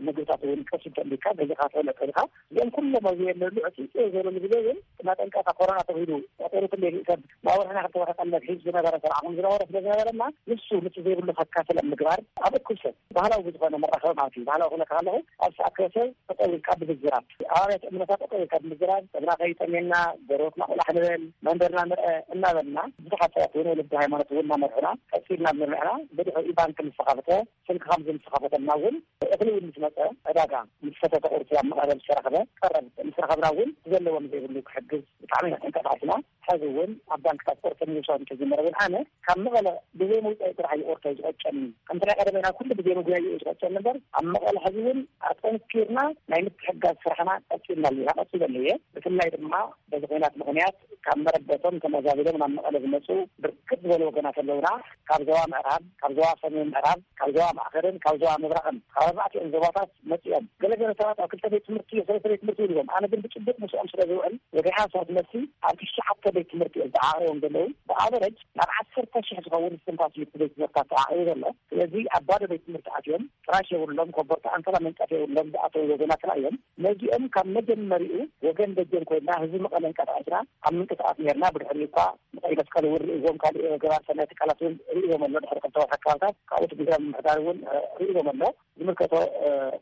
ምግብታት እውን ቀስ እንተሊካ፣ ገዚእካ ትበልዕ ተሊካ፣ እዚኦም ኩሎም ኣብዚ የለሉ፣ ዕጽይጽ ዝበለሉ ግዜ ግን፣ እናጠንቀኻ ኮሮና ተባሂሉ፣ ጠጠሩ ክንደይ ሰብ፣ ናብ ወርሕና ክልተ ወርሒ ቀለብ ሒዙ ዝነበረ ስርዓኹም ዝነበረ ስለ ዝነበረና፣ ንሱ፣ ንሱ ዘይብሉ ከካፍል ኣብ ምግባር፣ ኣብ እኩብ ሰብ፣ ባህላዊ ብዝኾነ መራኸቢ ማለት እዩ። ባህላዊ ክብለካ ከለኹ፣ ኣብ ዝተኣከበ ሰብ ጠጠው ኢልካ ብምዝራብ፣ ኣብ ኣብያተ እምነታት ጠጠው ኢልካ ብምዝራብ፣ ሰብና ከይጠምየና፣ ጎረቤትና ቆላሕ ንበል፣ መንደርና ንርአ እናበልና፣ ብዙሓት ሰባት እውን ወለዲ ሃይማኖት እውን እናመርሑና፣ ቀስ ኢልና እናመርሕና፣ ብድሕሪኡ ባንክ ምስ ተኸፍተ፣ ስልኪ ከም ምስ ተኸፈተልና እውን፣ እኽሊ እውን ምስ መፀ፣ ዕዳጋ ምስ ሰተተ፣ ቁርሲ ኣብ መቐለ ምስ ተረኽበ፣ ቀረብ ምስ ረኸብና እውን፣ ዘለዎም ዘይብሉ ክሕግዝ ብጣዕሚ ኢና ተንቀሳቒስና። ሕዚ እውን ኣብ ባንክታት ኦርቶ ምውሳድ እንተጀመረ እውን ኣነ ካብ መቐለ ብዘይ ምውፃእ ጥራሕ እዩ ኦርቶ ዝቆጨኒ። ከምቲ ናይ ቀደመ ናብ ኩሉ ብዘይ ምግባይ እዩ ዝቆጨኒ እምበር ኣብ መቐለ ሕዚ እውን ኣጠንኪርና ናይ ምትሕግጋዝ ስራሕና ቀፂልና ኣለና፣ ቀፂለ እየ። ብፍላይ ድማ በዚ ኲናት ምኽንያት ካብ መረበቶም ተመዛቢሎም ናብ መቐለ ዝመፁ ብርክት ዝበሉ ወገናት ኣለውና። ካብ ዞባ ምዕራብ፣ ካብ ዞባ ሰሜን ምዕራብ፣ ካብ ዞባ ማእኸልን ካብ ዞባ ምብራቕን፣ ካብ ኣርባዕቲኦም ዞባታት መፂኦም። ገለገለ ሰባት ኣብ ክልተ ቤት ትምህርቲ፣ ሰለስተ ቤት ትምህርቲ ይብልዎም። ኣነ ግን ብጭቡጥ ምስኦም ስለ ዝውዕል፣ ወግዒ ሃሳብ መልሲ ኣብ ትሽዓተ ቤት ትምህርቲ እዮም ተዓቒቦም ዘለዉ። ብኣቨረጅ ናብ ዓሰርተ ሽሕ ዝኸውን እስትንፋስ እዩ እቲ ቤት ትምህርትታት ተዓቒቡ ዘሎ። ስለዚ ኣብ ባዶ ቤት ትምህርቲ ኣትዮም፣ ፍራሽ የብሎም፣ ኮቦርታ ኣንሶላ መንጸፍ የብሎም ዝኣተዉ ወገናትና እዮም። ነዚኦም ካብ መጀመሪኡ ወገን ደጀን ኮይንና ህዝቢ መቐለ እንቀሳቐስና ኣብ ምንቅስቓስ ነይርና። ብድሕሪኡ እኳ ንቀይ መስቀል እውን ርእይዎም፣ ካልእ ገባር ሰናይ ትካላት እውን ርእይዎም ኣሎ። ድሕሪ ክልተ ወርሒ ከባብታት ካብኡ እቲ ግዝያዊ ምምሕዳር እውን ርእይዎም ኣሎ። ዝምልከቶ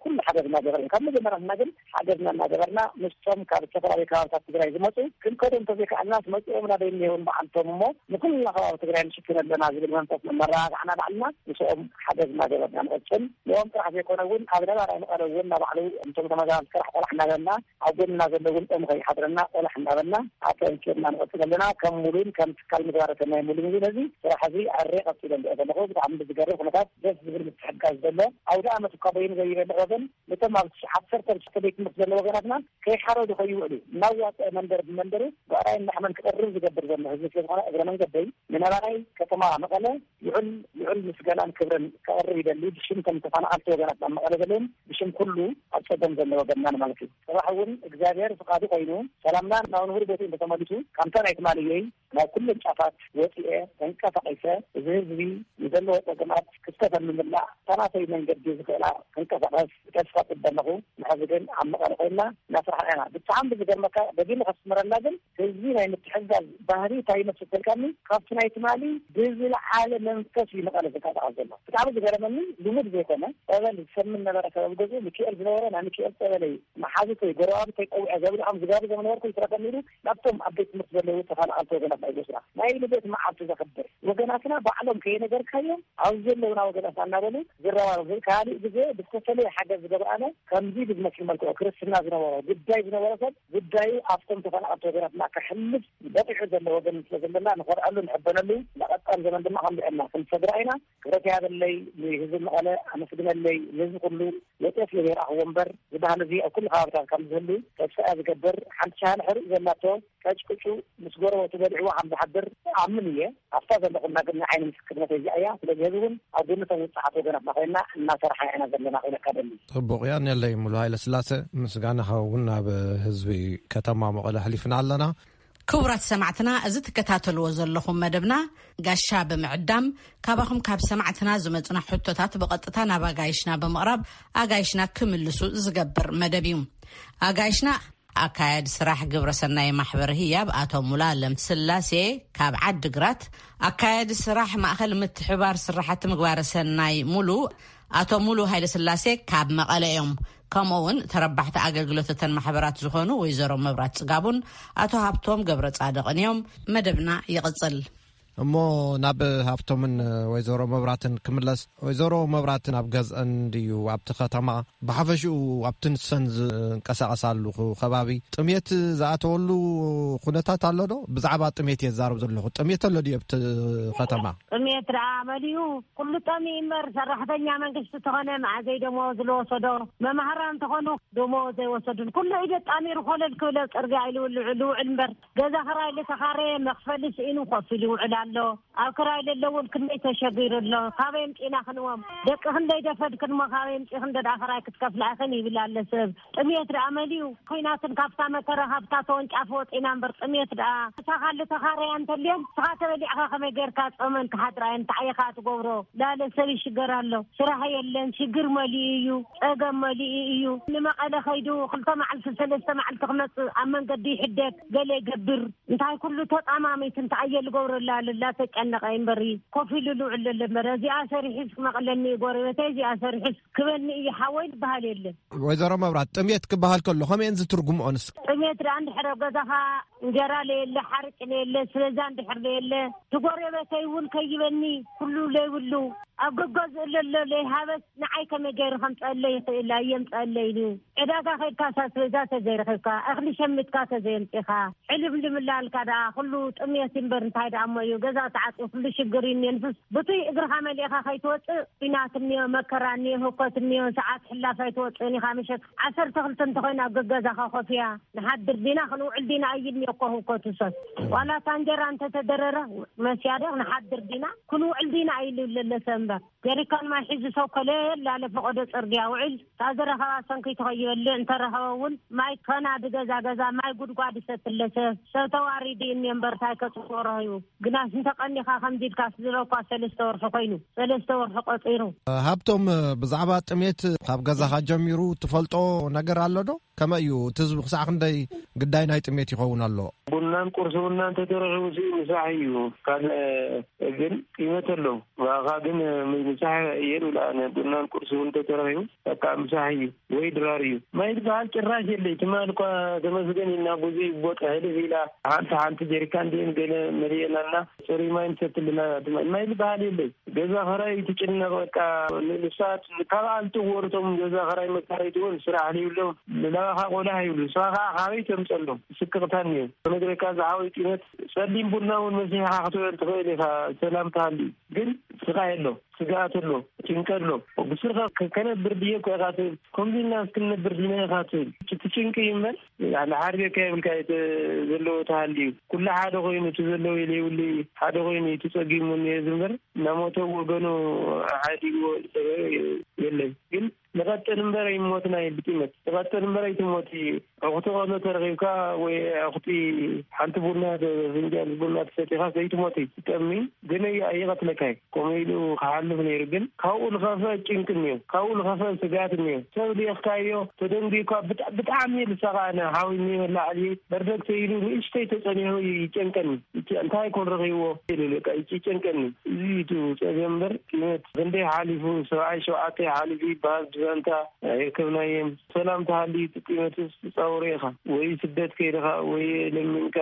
ኩሉ ሓገዝ እናገበርና፣ ካብ መጀመርያ ንና ግን ሓገዝና እናገበርና ምስቶም ካብ ዝተፈላለዩ ከባብታት ትግራይ ዝመፁ ክንከዶም ተዘይከኣልናስ መፂኦም ናበይ እኒሄውን በዓልቶም እሞ ንኩልና ከባቢ ትግራይ ንሽፍን ኣለና ዝብል መንፈስ መመራጋዕና ባዕልና ምስኦም ሓገዝ እናገበርና ንቐፅል። ንኦም ጥራሕ ዘይኮነ እውን ኣብ ነባራይ መቐለ እውን ናባዕሉ እንቶም ተመዛባል ስራሕ ቆላሕ እናበልና ኣብ ጎንና ዘለውን ኦም ከይሓድረና ቆላሕ እናበልና ኣጠንኪርና ንቐፅል ኣለና። ከም ሙሉን ከም ትካል ምግባረ ሰናይ ሙሉ ሙሉ ነዚ ስራሕ እዚ ኣሬ ቀፂለ እንዲኦ ዘለኹ። ብጣዕሚ ብዝገርም ኩነታት ደስ ዝብል ምትሕጋዝ ዘሎ ኣውደ ኣመት እኳ በይኑ ዘይበልዕ ወገን ነቶም ኣብ ዓሰርተ ሽዱሽተ ቤት ትምህርቲ ዘሎ ወገናትና ከይሓረዱ ከይውዕሉ እናዋፀ መንደር ብመንደሩ ብዕራይ እናሕመን ክቐርብ ዝገብር ዘሎ ህዝቢ ስለዝኾነ እግረ መንገደይ ንነባራይ ከተማ መቐለ ልዑል ልዑል ምስጋናን ክብርን ከቕርብ ይደሊ። ብሽም ከም ተፈናቐልቲ ወገናት ናብ መቐለ ዘለውን ብሽም ኩሉ ኣብ ፀገም ዘሎ ወገንና ማለት እዩ። ፅባሕ እውን እግዚኣብሔር ፍቓዱ ኮይኑ ሰላምና ናብ ንቡር ቦትኡ እንተተመሊሱ፣ ከምታ ናይ ትማልየይ ናብ ኩለን ጫፋት ወፂኤ ተንቀሳቒሰ እዚ ህዝቢ ንዘለዎ ፀገማት ክፍተተን ንምምላእ እታ ናተይ መንገዲ ዝኽእላ ክንቀሳቐስ ብተስፋ ፅበ ኣለኹ። ንሕዚ ግን ኣብ መቐለ ኮይንና እናስራሕና ኢና። ብጣዕሚ ብዝገርመካ ደጊመ ከስምረላ ግን ህዝቢ ናይ ምትሕግጋዝ ባህሪ እንታይ ይመስል ተልካኒ፣ ካብቲ ናይ ትማሊ ብዝለዓለ መንፈስ እዩ መቐለ ዝንቀሳቐስ ዘሎ። ብጣዕሚ ዝገረመኒ ልሙድ ዘይኮነ ጸበል ዝሰምን ነበረ። ከባቢ ገዝኡ ሚካኤል ዝነበረ ናይ ሚካኤል ጸበለይ መሓዙተይ ጎረባብተይ ጸዊዐ ዘብልዖም ዝጋብዞም ነበርኩ። ይትረፈኒ ኢሉ ናብቶም ኣብ ቤት ትምህርቲ ዘለዉ ተፈናቐልቲ ወገናትና እዩ ዝወስዳ። ናይ ልደት መዓልቲ ዘኽብር ወገናትና ባዕሎም ከየነገርካዮም ኣብዚ ዘለውና ወገናትና እናበሉ ዝረባረቡ። ካልእ ግዜ ብዝተፈለየ ሓገዝ ዝገብራነ ከምዚ ብዝመስል መልክዑ ክርስትና ዝነበሮ ጉዳይ ዝነበረ ሰብ ጉዳዩ ኣብቶም ተፈናቐልቲ ወገናትና ከሕልፍ በቂሑ ዘሎ ወገን ስለ ዘለና ንኾርዐሉ ንሕበነሉ። ንቐጻሊ ዘመን ድማ ከምዚዐና ክንሰግራ ኢና። ክብረት ያበለይ ንህዝቢ መቐለ ኣመስግነለይ። ንህዝቢ ኩሉ ወፅኤ ስለ ዘይረኣኽዎ እምበር ዝበሃል እዚ ኣብ ኩሉ ከባብታት ከም ዝህሉ ተስፋ እያ ዝገብር። ሓንቲ ሻሃነ ሕሩጭ ዘላቶ ቀጭቅጩ ምስ ጎረበቱ በሊዕዎ ከም ዝሓድር ኣምን እየ። ኣብታ ዘለኹና ግን ንዓይኒ ምስክርነት እዚኣ እያ። ስለዚ ህዝቢ እውን ኣብ ጎኒ እቶም ውፅዓት ወገናትና ኮይንና እናሰርሓ ኢና ዘለና ክብለካ ደሊ። ጽቡቕ እያ። ንለይ ሙሉ ሃይለ ስላሴ ምስጋናኻ እውን ናብ ህዝቢ ከተማ መቐለ ኣሕሊፍና ኣለና። ክቡራት ሰማዕትና፣ እዚ ትከታተልዎ ዘለኹም መደብና ጋሻ ብምዕዳም ካባኹም ካብ ሰማዕትና ዝመጹና ሕቶታት ብቐጥታ ናብ ኣጋይሽና ብምቕራብ ኣጋይሽና ክምልሱ ዝገብር መደብ እዩ። ኣጋይሽና ኣካያዲ ስራሕ ግብረ ሰናይ ማሕበር ህያብ ኣቶ ሙሉኣለም ስላሴ ካብ ዓዲ ግራት፣ ኣካያዲ ስራሕ ማእኸል ምትሕባር ስራሕቲ ምግባረ ሰናይ ሙሉ ኣቶ ሙሉ ሃይለ ስላሴ ካብ መቐለ እዮም። ከምኡ እውን ተረባሕቲ ኣገልግሎት እተን ማሕበራት ዝኾኑ ወይዘሮ መብራት ጽጋቡን ኣቶ ሃብቶም ገብረ ጻድቕን እዮም። መደብና ይቕጽል። እሞ ናብ ሃብቶምን ወይዘሮ መብራትን ክምለስ። ወይዘሮ መብራትን ኣብ ገዝአን ድዩ ኣብቲ ከተማ ብሓፈሽኡ ኣብቲ ንሰን ዝንቀሳቐሳሉ ከባቢ ጥሜት ዝኣተወሉ ኩነታት ኣሎ ዶ? ብዛዕባ ጥሜት እየ ዝዛረብ ዘለኹ። ጥሜት ኣሎ ድዩ ኣብቲ ከተማ? ጥሜት ደኣ መሊኡ ኩሉ ጠሚኡ እምበር ሰራሕተኛ መንግስቲ ተኾነ መዓዘይ ደሞዝ ዝወሰዶ፣ መማህራን ተኾኑ ደሞዝ ዘይወሰዱን ኩሉ ኢደ ጣሚሩ ኮለል ክብለ ጽርግያ ኢሉ ልውዕል እምበር ገዛ ክራይ ልተኻረየ መኽፈሊ ስኢኑ ኮፍ ኢሉ ይውዕል ኣሎ። ኣብ ክራይ ለለውን ክንደይ ተሸጊሩ ኣሎ። ካበይ ኣምጺእና ክንዎም? ደቂ ክንደይ ደፈድክን እሞ ካበይ ኣምጺእክን እንደ ደኣ ክራይ ክትከፍላ ኢኽን ይብል ኣለ ሰብ። ጥሜት ደኣ መሊኡ። ኲናትን ካብታ መከራ ካብታ ተወንጫፊ ወጺና እምበር ጥሜት ደኣ። እታ ካልእ ተኻረያ እንተልየን ንስኻ ተበሊዕኻ ከመይ ጌርካ ጾመን ክሓድራ እየን እንታይ ኢኻ ትገብሮ? ላለ ሰብ ይሽገር ኣሎ። ስራሕ የለን፣ ሽግር መሊኡ እዩ፣ ጸገም መሊኡ እዩ። ንመቐለ ከይዱ ክልተ መዓልቲ ሰለስተ መዓልቲ ክመጽእ ኣብ መንገዲ ይሕደግ፣ ገለ ይገብር። እንታይ ኩሉ ተጣማሚት እንታይ እየ ልገብረላ ልላ ተጨነቐ እምበሪ ኮፍ ኢሉ ልውዕል ለለ እምበር እዚኣ ሰሪሒስ ክመቕለኒ እዩ ጎረቤተይ እዚኣ ሰሪሒስ ክበኒ እዩ ሓወይ ዝበሃል የለን። ወይዘሮ መብራት ጥሜት ክበሃል ከሎ ከመየን ዝትርጉምኦ ንስ? ጥሜት ደኣ እንድሕር ኣብ ገዛኻ እንጀራ ለየለ ሓርጭ ለየለ ስለዛ እንድሕር ለየለ ትጎረቤተይ እውን ከይበኒ ኩሉ ለይብሉ ኣብ ገገዝኡ ለሎ ለይሃበስ ንዓይ ከመይ ገይሩ ከምፀአለይ ይኽእል ኣየምፀአለይ ኢሉ ዕዳጋ ከይድካ ሳስበዛ ተዘይረኺብካ እኽሊ ሸሚትካ ተዘየምፂኻ ሕልም ልምላልካ ደኣ ኩሉ ጥሜት እምበር እንታይ ደኣ እሞ እዩ ገዛ ተዓፅዩ ኩሉ ሽግር እዩ እኒኦ ንሱስ ብቱይ እግርኻ መሊእኻ ከይትወፅእ ኲናት እኒኦ መከራ እኒኦ ህኮት እኒኦ ሰዓት ሕላፍ ኣይትወፅእን ኢኻ ምሸት ዓሰርተ ክልተ እንተኾይኑ ኣብ ገገዛኻ ኮፍያ ንሓድር ዲና ክንውዕል ዲና ኣይልኒ እኮ ህውከቱ ሰብ ዋላ እታ እንጀራ እንተተደረረ መስያደ ንሓድር ዲና ክንውዕል ዲና ኣይልለለሰ እምበር ጀሪካን ማይ ሒዙ ሰው ከለል ላለ ፈቐዶ ጽርግያ ውዕል ታዘረኸባ ሰንኪ ተኸይበልዕ እንተረኸበ እውን ማይ ከና ድገዛ ገዛ ማይ ጉድጓድ ይሰትለሰ ሰብ ተዋሪዲ እኒ እምበር ታይ ከጽዎ ረኸቡ ግናስ እንተቐኒኻ ከምዚ ኢልካ ዝበኳ ሰለስተ ወርሒ ኮይኑ ሰለስተ ወርሒ ቆጺሩ። ሃብቶም ብዛዕባ ጥሜት ካብ ገዛኻ ጀሚሩ ትፈልጦ ነገር ኣሎ ዶ? ከመይ እዩ እቲ ህዝቢ ክሳዕ ክንደይ ግዳይ ናይ ጥሜት ይኸውን ኣሎ? ቡናን ቁርሲ ቡና እንተተረኺቡ ሲ ምሳሕ እዩ ካልእ ግን ጥሜት ኣሎ ብኣኻ ግን ምሳሕ እየ ዝብላ። ኣነ ቡናን ቁርሲ እውን ተተረኺቡ በቃ ምሳሕ እዩ ወይ ድራር እዩ። ማይ ዝበሃል ጭራሽ የለይ። ትማል እኳ ተመስገን ኢልና ብዙይ ቦታ ህልፍ ኢላ ሓንቲ ሓንቲ ጀሪካን ድን ገለ መሊእናልና ጽሩይ ማይ ንሰትልና። ትማል ማይ ዝበሃል የለይ። ገዛ ኸራይ ትጭነቕ በቃ። ንሳት ካብ ኣልቲ ወርቶም ገዛ ኸራይ መካረይቲ እውን ስራሕ ዘይብሎም ንላባኻ ቆላሕ ይብሉ። ንስኻ ከዓ ካበይ ተምፀሎም? ስቅቕታን እዩ። ክነግረካ ዝሓወይ ጢነት ጸሊም ቡና እውን መሲሕኻ ክትበል ትኽእል ኢኻ። ሰላም ትሃሊ ግን ስቓ የሎ፣ ስግኣት ኣሎ፣ ጭንቀት ኣሎ። ብስርኻ ከ-፣ ከነብር ድየ እኮ ኢኻ ትብል። ከምዚ ኢልና እስክንነብር ዲና ኢኻ ትብል። እቲ ጭንቂ እዩ እምበር፣ ንሓርቤካ የብልካ እቲ ዘለዎ ተሃልዩ። ኩሉ ሓደ ኮይኑ፣ እቲ ዘለዎ የብሉ ሓደ ኮይኑ፣ እቲ ጸጊሙ እኒኦ ዝምበር፣ እናሞተ ወገኑ ሓዲግዎ ዝነበረ የለን። ግን ንቐጥል እምበር ኣይሞትና እዩ ብጢመት። ንቐጥል እምበር ኣይትሞት እዩ። ኣኹቲ ቆሎ ተረኺብካ ወይ ኣኹቲ ሓንቲ ቡና ተ-፣ ፍንጃል ቡና ተሰቲኻ ዘይትሞት እዩ። ትጠሚ ግን ኣይ-፣ ኣይቐትለካ እዩ። ከምኡ ኢሉ ክሓልፍ ነይሩ። ግን ካብኡ ዝኸፍአ ጭንቂ እኒኦ። ካብኡ ዝኸፍአ ስግኣት እኒኦ። ሰብ ልኢኽካዮ፣ ተደንጒካ ብጣ-፣ ብጣዕሚ ልሳኻ ኣነ ሓዊኒ መላዕሊ በርደግ ተይሉ ንእሽተይ ተጸኒሑ ይጨንቀኒ። ይጨ-፣ እንታይ ኮን ረኺብዎ? ኢሉ በቃ ይጨንቀኒ። እዚ እዩ እቲ ጸገም እምበር ጢመት ክንደይ ሓሊፉ፣ ሰብዓይ ሸውዓተ ሓሊፉ ይበሃል ብዛንታ ኣይረከብናየን። ሰላም ተሃልዩ እቲ ጢመትስ ትጻወሮ ኢኻ። ወይ ስደት ከይድኻ፣ ወይ ለሚንካ፣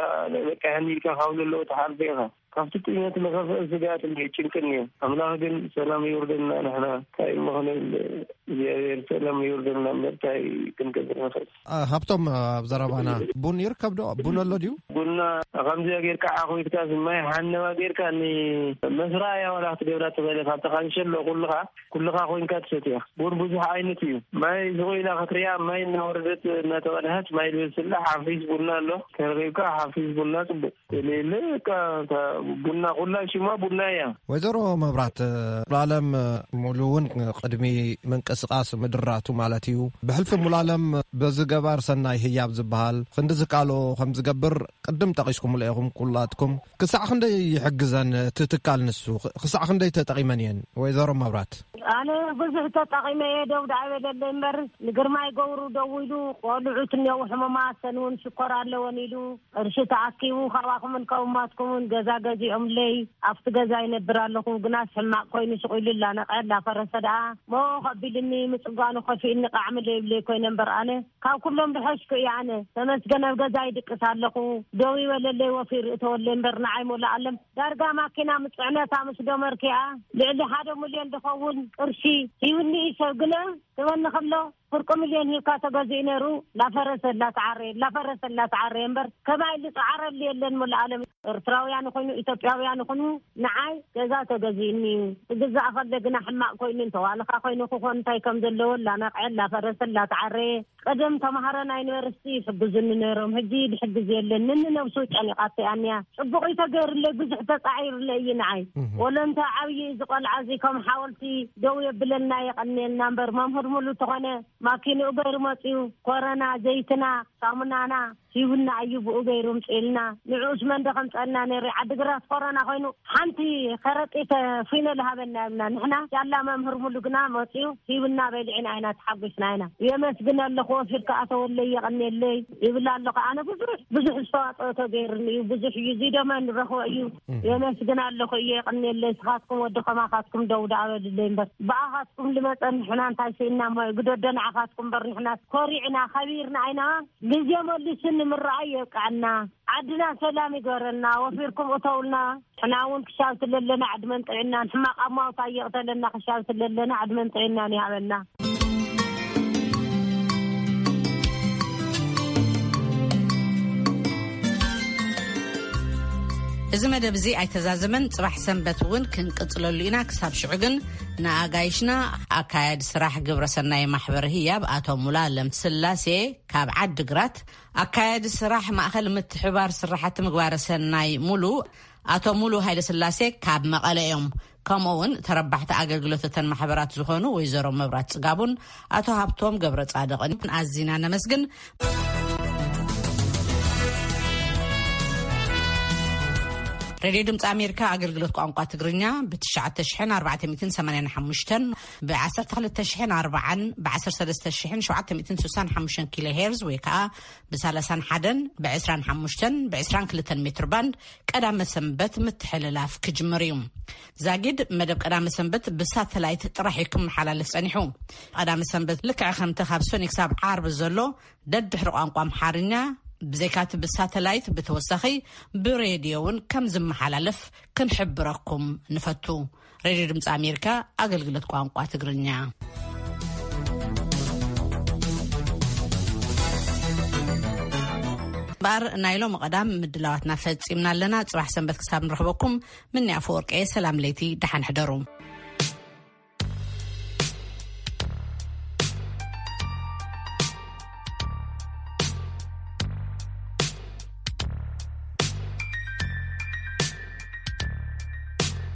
በቃ ይሃኒ ኢልካ ካብ ዘለዎ ትሓልፎ ኢኻ። ካብቲ ጢመት ዝኸፍአ ስግኣት እንድዩ ጭንቂ እንድዩ። ኣምላኽ ግን ሰላም ይውርደልና። ንሕና እንታይ እሞ ክንብል፣ እግዚኣብሔር ሰላም ይውርደልና እምበር እንታይ ክንገብር ንኽእል? አ፣ ሃብቶም፣ ኣብ ዘረባና ቡን ይርከብ ዶ? ቡን ኣሎ ድዩ? ቡና ከምዚኣ ጌርካ ዓኹትካ ማይ ሓነዋ ጌርካ ንመስራያ ዋላ ክትገብራ ትኽእል ኢኻ። ኣብታ ካንሸሎ ኩልኻ፣ ኩልኻ ኮይንካ ትሰትያ። ቡን ብዙሕ ዓይነት እዩ። ማይ ስቕ ኢላ ክትሪኣ ማይ እናወረደት እናተቐድሐት ማይ ዝበስላ ሓፊስ ቡና ኣሎ። ተረኺብካ ሓፊስ ቡና ጽቡቕ። የለ የለ፣ በቃ፣ እታ ቡና ኩላ ሽማ ቡና እያ። ወይዘሮ መብራት፣ ሙሉዓለም ሙሉ እውን ቅድሚ ምንቅስቃስ ምድራቱ ማለት እዩ፣ ብሕልፊ ሙሉዓለም በዚ ገባር ሰናይ ህያብ ዝበሃል ክንዲ ዝካሎ ከም ዝገብር ቅድም ጠቒስኩምሉ ኢኹም ኩላትኩም። ክሳዕ ክንደይ ይሕግዘን እቲ ትካል ንሱ? ክሳዕ ክንደይ ተጠቒመን እየን? ወይዘሮ መብራት። ኣነ ብዙሕ ተጠቒመ እየ፣ ደው ደኣ በለለይ እምበር፣ ንግርማይ ገብሩ ደዊሉ፣ ቆልዑት እኒአው ሕሙማት፣ ሰን እውን ሽኮር ኣለወን ኢሉ፣ ቅርሺ ተኣኪቡ፣ ካባኹምን ከውማትኩምን ገዛ ገዚኦምለይ፣ ኣብቲ ገዛ ይነብር ኣለኹ፣ ግናስ ሕማቕ ኮይኑ ሽቑ ኢሉ፣ ላነቐ፣ ላፈረሰ ደኣ፣ ሞ ከቢልኒ፣ ምጽጓኑ ከፊእኒ፣ ቃዕሚ ለይብለይ ኮይነ እምበር፣ ኣነ ካብ ኩሎም ዝሐሽኩ እየ። ኣነ ተመስገን፣ ኣብ ገዛ ይድቅስ ኣለኹ፣ ደው ይበለለይ፣ ወፊር እተወለይ እምበር፣ ንዓይ ሞላ ኣለም ዳርጋ ማኪና ምስ ጽዕነታ ምስ ዶመርኪኣ ልዕሊ ሓደ ሚልዮን ዝኸውን ቅርሺ ሂብኒ እዩ። ሰብ ግነ ክበኒ ከሎ ፍርቂ ሚልዮን ሂብካ ተገዚኡ ነይሩ። ላፈረሰ ላተዓረየ፣ ላፈረሰ ላተዓረየ እምበር ከማይ ልጸዓረሉ የለን። ሙሉእ ዓለም ኤርትራውያን ይኹኑ ኢትዮጵያውያን ይኹኑ ንዓይ ገዛ ተገዚእኒ እዩ። ክግዛእ ከሎ ግና ሕማቕ ኮይኑ እንተዋልኻ ኮይኑ ክኾን እንታይ ከም ዘለዎ ላነቕዐ ላፈረሰ ላተዓረየ ቀደም ተማሃሮ ናይ ዩኒቨርሲቲ ይሕግዙኒ ነይሮም፣ ሕጂ ዝሕግዝ የለን። ንንነብሱ ጨኒቓቶ እያ እኒኣ። ጽቡቕ እዩ ተገይሩለይ፣ ብዙሕ ተጻዒሩለይ እዩ ንዓይ። እህ። ወለንታ ዓብዪ እዚ ቆልዓ እዚ ከም ሓወልቲ ደው የብለልና የቐንየልና እምበር፣ መምህር ሙሉ ተኾነ ማኪንኡ ገይሩ መጺኡ፣ ኮረና፣ ዘይትና፣ ሳሙናና ሂቡና እዩ፣ ብኡ ገይሩ ምጽኢልና። ንዕኡስ መን ዶ ከምጸልና ነይሩ? ዓዲግራት ኮረና ኮይኑ ሓንቲ ከረጢት ፊኖ ዝሃበና የብልና። ንሕና ያላ መምህር ሙሉ ግና መጺኡ ሂብና በሊዕና ኢና ተሓጒስና ኢና። የመስግን ኣለኹ፣ ወፊርካ ኣተወለይ የቐንየለይ ይብል ኣለኹ። ኣነ ብዙሕ፣ ብዙሕ ዝተዋጽኦ ተገይሩኒ እዩ። ብዙሕ እዩ። እዚ ደማ ንረኽቦ እዩ። እህ። የመስግን ኣለኹ እየ፣ የቐንየለይ። ስኻትኩም ወዲ ከማኻትኩም ደው ደኣ በልለይ እምበር። ብኣኻትኩም ልመጸ ንሕና እንታይ ስኢና እሞ ግደዶ ንዓኻትኩም እምበር ንሕና ኮሪዕና፣ ከቢርና ኣይና። ግዜ መሊሱ ንምርኣይ የብቅዐና። ዓድና ሰላም ይግበረልና። ወፊርኩም እተውልና። ንሕና እውን ክሻብ ስለለና ዕድመን ጥዕናን፣ ሕማቕ ኣማውታ ይቕተለና፣ ክሻብ ስለለና ዕድመን ጥዕናን ይሃበና። እዚ መደብ እዚ ኣይተዛዘመን፣ ጽባሕ ሰንበት እውን ክንቅጽለሉ ኢና። ክሳብ ሽዑ ግን ንኣጋይሽና ኣካያዲ ስራሕ ግብረ ሰናይ ማሕበር ህያብ ኣቶ ሙሉዓለም ስላሴ ካብ ዓዲ ግራት፣ ኣካያዲ ስራሕ ማእኸል ምትሕባር ስራሕቲ ምግባረ ሰናይ ሙሉ ኣቶ ሙሉ ሃይለስላሴ ካብ መቐለ እዮም። ከምኡ እውን ተረባሕቲ ኣገልግሎት እተን ማሕበራት ዝኾኑ ወይዘሮ መብራት ጽጋቡን ኣቶ ሃብቶም ገብረ ጻድቕን ኣዚና ነመስግን። ሬድዮ ድምፂ ኣሜሪካ ኣገልግሎት ቋንቋ ትግርኛ ብ ትሽዓተ ሽሕን ኣርባዕተ ሚእትን ሰማንያን ሓሙሽተን፣ ብ ዓሰርተ ክልተ ሽሕን ኣርባዓን፣ ብ ዓሰርተ ሰለስተ ሽሕን ሸውዓተ ሚእትን ስሳን ሓሙሽተን ኪሎ ሄርዝ ወይ ከዓ ብ ሰላሳን ሓደን፣ ብ ዕስራን ሓሙሽተን፣ ብ ዕስራን ክልተን ሜትር ባንድ ቀዳመ ሰንበት ምትሕልላፍ ክጅምር እዩ። ዛጊድ መደብ ቀዳመ ሰንበት ብሳተላይት ጥራሕ እዩ ክመሓላለፍ ጸኒሑ። ቀዳመ ሰንበት ልክዕ ከምቲ ካብ ሶኒ ክሳብ ዓርቢ ዘሎ ደድሕሪ ቋንቋ ኣምሓርኛ ብዘይካቲ ብሳተላይት ብተወሳኺ ብሬድዮ እውን ከም ዝመሓላለፍ ክንሕብረኩም ንፈቱ። ሬድዮ ድምፂ ኣሜሪካ ኣገልግሎት ቋንቋ ትግርኛ። እምበኣር ናይ ሎሚ ቀዳም ምድላዋትና ፈጺምና ኣለና። ጽባሕ ሰንበት ክሳብ ንረኽበኩም፣ ምንያ ኣፈወርቀየ ሰላም ለይቲ፣ ደሓን ሕደሩ።